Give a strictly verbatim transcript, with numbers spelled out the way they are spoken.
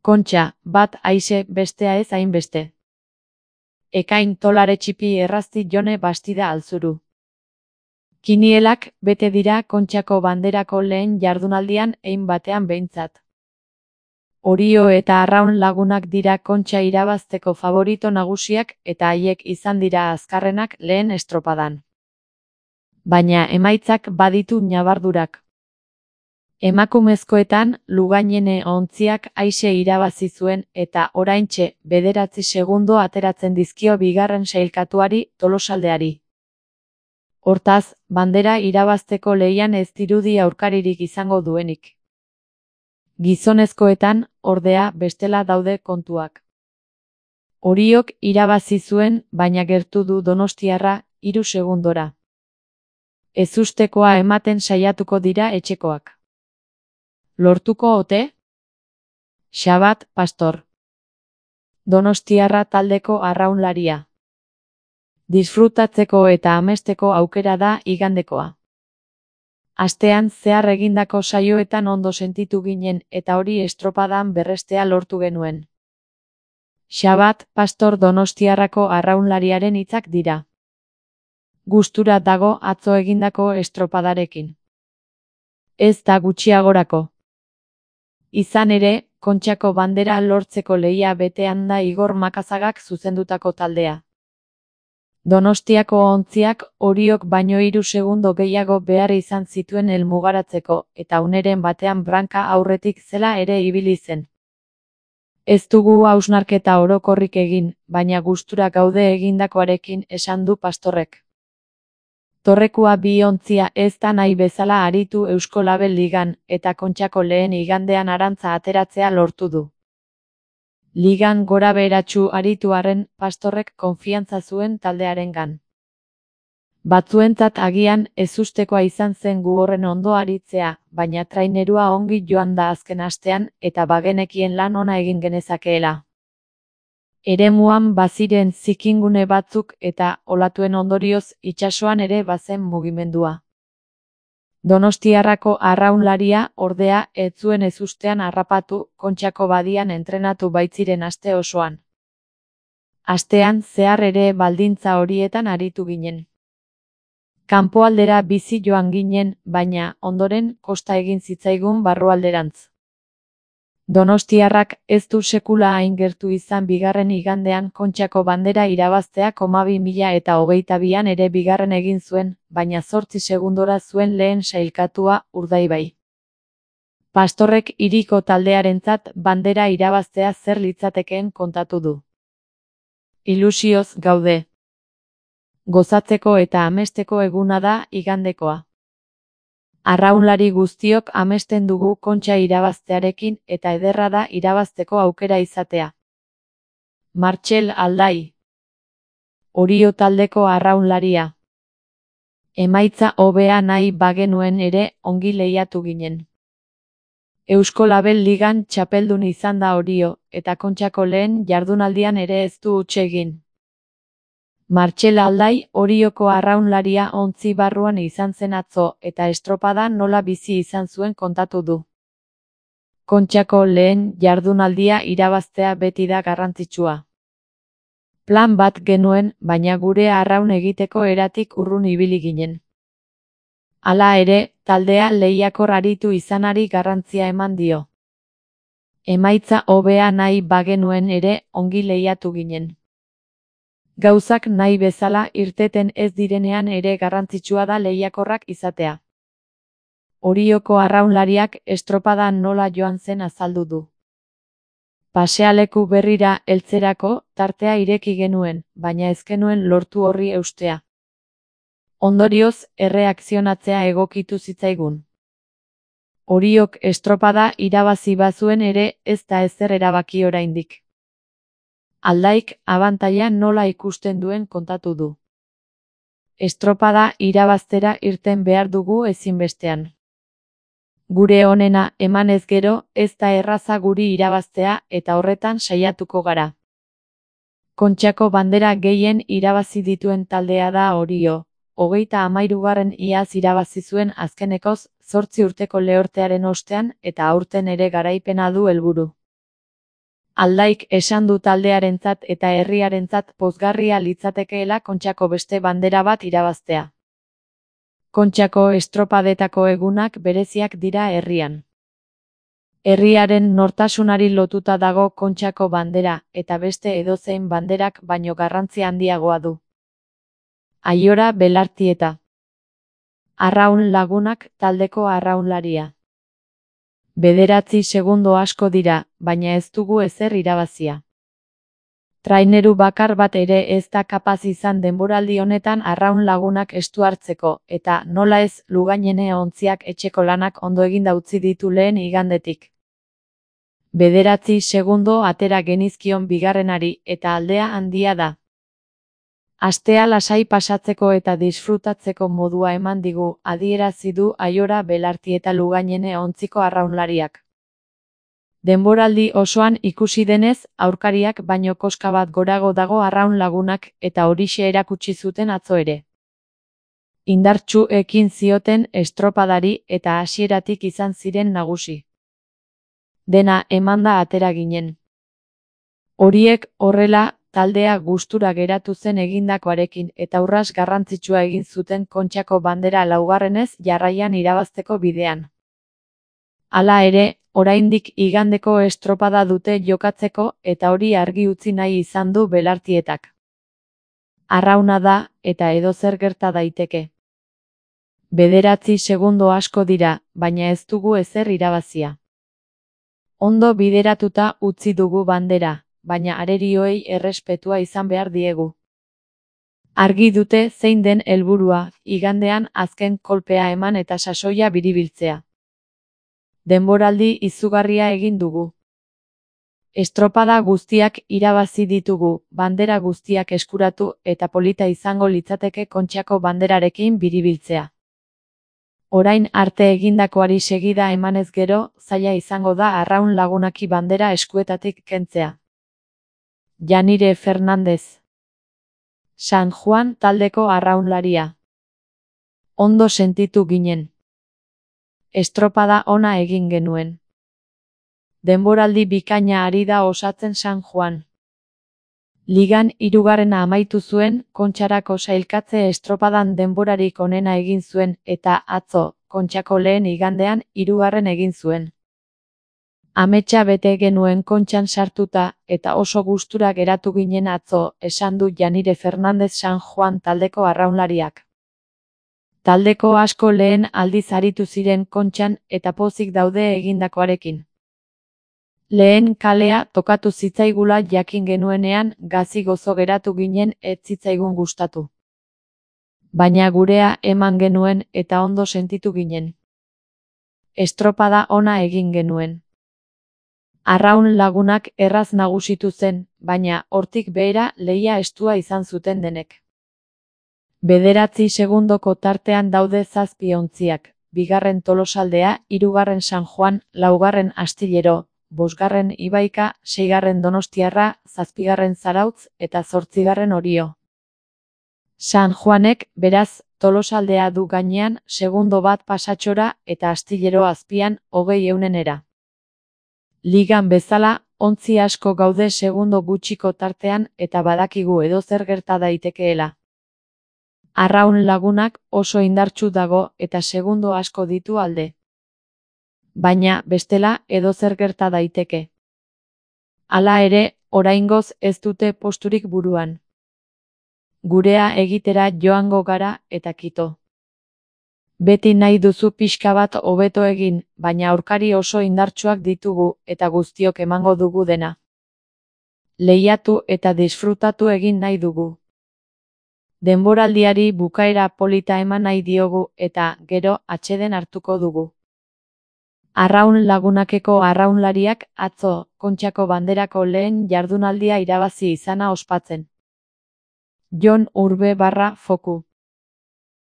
Kontxa, bat aixe bestea ez hainbeste. Ekain tolare txipi errazti jone bastida alzuru. Kinielak bete dira Kontxako banderako lehen jardunaldian hein batean behintzat. Orio eta Arraun lagunak dira Kontxa irabazteko favorito nagusiak eta haiek izan dira azkarrenak lehen estropadan. Baina emaitzak baditu ñabardurak. Emakumezkoetan Lugainene ontziak aixe irabazi zuen eta oraintxe bederatzi segundo ateratzen dizkio bigarren sailkatuari Tolosaldeari. Hortaz, bandera irabazteko lehian ez dirudi aurkaririk izango duenik. Gizonezkoetan, ordea, bestela daude kontuak. Oriok irabazi zuen, baina gertu du Donostiarra, hiru segundora. Ezustekoa ematen saiatuko dira etxekoak. Lortuko ote? Xabat Pastor. Donostiarra taldeko arraunlaria. Disfrutatzeko eta amesteko aukera da igandekoa. Astean zehar egindako saioetan ondo sentitu ginen eta hori estropadan berrestea lortu genuen. Xabat Pastor Donostiarrako arraunlariaren hitzak dira. Gustura dago atzo egindako estropadarekin. Ez da gutxiagorako. Izan ere, Kontxako bandera lortzeko lehia betean da Igor Makazagak zuzendutako taldea. Donostiako ontziak Oriok baino hiru segundo gehiago behar izan zituen helmugaratzeko eta uneren batean branka aurretik zela ere ibili zen. Ez dugu hausnarketa orokorrik egin, baina gustura gaude egindakoarekin esan du Pastorrek. Torrekua bi ontzia ez da nahi bezala aritu Eusko Label Ligan eta Kontxako lehen igandean arantza ateratzea lortu du. Ligan gora beheratsu aritu arren Pastorrek konfiantza zuen taldearengan. Batzuentzat agian ezustekoa izan zen gu horren ondo aritzea, baina trainerua ongi joan da azken astean eta bagenekien lan ona egin genezakeela. Eremuan baziren zikingune batzuk eta olatuen ondorioz itsasoan ere bazen mugimendua. Donostiarrako arraunlaria ordea ez zuen ezustean harrapatu Kontxako badian entrenatu baitziren aste osoan. Astean zehar ere baldintza horietan aritu ginen. Kanpoaldera bizi joan ginen, baina ondoren kosta egin zitzaigun barrualderantz. Donostiarrak ez du sekula hain gertu izan bigarren igandean Kontxako bandera irabaztea hamabi mila eta hogeita bian ere bigarren egin zuen, baina zortzi segundora zuen lehen sailkatua Urdaibai. Pastorrek hiriko taldearentzat bandera irabaztea zer litzatekeen kontatu du. Ilusioz gaude. Gozatzeko eta amesteko eguna da igandekoa. Arraunlari guztiok amesten dugu Kontxa irabaztearekin eta ederra da irabazteko aukera izatea. Martxel Aldai. Orio taldeko arraunlaria. Emaitza hobea nahi bagenuen ere ongi lehiatu ginen. Eusko Label Ligan txapeldun izan da Orio, eta Kontxako lehen jardunaldian ere ez du huts egin. Martxel Aldai Orioko arraunlaria ontzi barruan izan zen atzo eta estropada nola bizi izan zuen kontatu du. Kontxako lehen jardunaldia irabaztea beti da garrantzitsua. Plan bat genuen, baina gure arraun egiteko eratik urrun ibili ginen. Hala ere, taldea lehiakor aritu izanari garrantzia eman dio. Emaitza hobea nahi bagenuen ere ongi lehiatu ginen. Gauzak nahi bezala irteten ez direnean ere garrantzitsua da lehiakorrak izatea. Orioko arraunlariak estropadan nola joan zen azaldu du. Pasealeku berrira heltzerako tartea ireki genuen, baina ez genuen lortu horri eustea. Ondorioz, erreakzionatzea egokitu zitzaigun. Oriok estropada irabazi bazuen ere ez da ezer erabaki oraindik. Aldaik abantaila nola ikusten duen kontatu du. Estropada irabaztera irten behar dugu ezinbestean. Gure onena emanez gero ez da erraza guri irabaztea eta horretan saiatuko gara. Kontxako bandera gehien irabazi dituen taldea da Orio, hogeita hamahirugarren iaz irabazi zuen azkenekoz zortzi urteko lehortearen ostean eta aurten ere garaipena du helburu. Aldaik esan du taldearentzat eta herriarentzat pozgarria litzatekeela Kontxako beste bandera bat irabaztea. Kontxako estropadetako egunak bereziak dira herrian. Herriaren nortasunari lotuta dago Kontxako bandera, eta beste edozein banderak baino garrantzi handiagoa du. Aiora Belartieta. Arraun Lagunak taldeko arraunlaria. Bederatzi segundo asko dira, baina ez dugu ezer irabazia. Traineru bakar bat ere ez da kapaz izan denboraldi honetan Arraun Lagunak estu hartzeko, eta nola ez Lugainene ontziak etxeko lanak ondo eginda utzi ditu lehen igandetik. Bederatzi segundo atera genizkion bigarrenari eta aldea handia da. Astea lasai pasatzeko eta disfrutatzeko modua eman digu, adierazi du Aiora Belartieta Lugainene ontziko arraunlariak. Denboraldi osoan ikusi denez, aurkariak baino koska bat gorago dago Arraun Lagunak eta horixe erakutsi zuten atzo ere. Indartsu ekin zioten estropadari eta hasieratik izan ziren nagusi. Dena emanda atera ginen. Horiek horrela, taldea gustura geratu zen egindakoarekin eta urras garrantzitsua egin zuten Kontxako bandera laugarrenez jarraian irabazteko bidean. Hala ere, oraindik igandeko estropada dute jokatzeko eta hori argi utzi nahi izan du Belartietak. Arrauna da, eta edozer gerta daiteke. Bederatzi segundo asko dira, baina ez dugu ezer irabazia. Ondo bideratuta utzi dugu bandera, baina arerioei errespetua izan behar diegu. Argi dute zein den helburua, igandean azken kolpea eman eta sasoia biribiltzea. Denboraldi izugarria egin dugu. Estropada guztiak irabazi ditugu, bandera guztiak eskuratu eta polita izango litzateke Kontxako banderarekin biribiltzea. Orain arte egindakoari segida emanez gero, zaila izango da Arraun Lagunaki bandera eskuetatik kentzea. Janire Fernandez. San Juan taldeko arraunlaria. Ondo sentitu ginen. Estropada ona egin genuen. Denboraldi bikaina ari da osatzen San Juan. Ligan hirugarrena amaitu zuen, Kontxarako sailkatze estropadan denborarik onena egin zuen, eta atzo, Kontxako lehen igandean, hirugarren egin zuen. Ametsa bete genuen Kontxan sartuta, eta oso gustura geratu ginen atzo, esan du Janire Fernandez San Juan taldeko arraunlariak. Taldeko asko lehen aldiz aritu ziren Kontxan eta pozik daude egindakoarekin. Lehen kalea tokatu zitzaigula jakin genuenean gazi gozo geratu ginen ez zitzaigun gustatu. Baina gurea eman genuen eta ondo sentitu ginen. Estropada ona egin genuen. Arraun Lagunak erraz nagusitu zen, baina hortik behera lehia estua izan zuten denek. Bederatzi segundoko tartean daude zazpi ontziak, bigarren Tolosaldea, hirugarren San Juan, laugarren Astillero, bosgarren Ibaika, seigarren Donostiarra, zazpigarren Zarautz eta zortzigarren Orio. San Juanek, beraz, Tolosaldea du gainean, segundo bat pasatxora eta Astillero azpian, hogei eunenera. Ligan bezala, ontzi asko gaude segundo gutxiko tartean eta badakigu edozer gerta daitekeela. Arraun Lagunak oso indartsu dago eta segundo asko ditu alde. Baina, bestela, edozer gerta daiteke. Hala ere, oraingoz ez dute posturik buruan. Gurea egitera joango gara eta kito. Beti nahi duzu pixka bat hobeto egin, baina aurkari oso indartsuak ditugu eta guztiok emango dugu dena. Lehiatu eta disfrutatu egin nahi dugu. Denboraldiari bukaera polita eman nahi diogu eta, gero, atseden hartuko dugu. Arraun Lagunakeko arraunlariak atzo, Kontxako banderako lehen jardunaldia irabazi izana ospatzen. Jon Urbe barra Foku.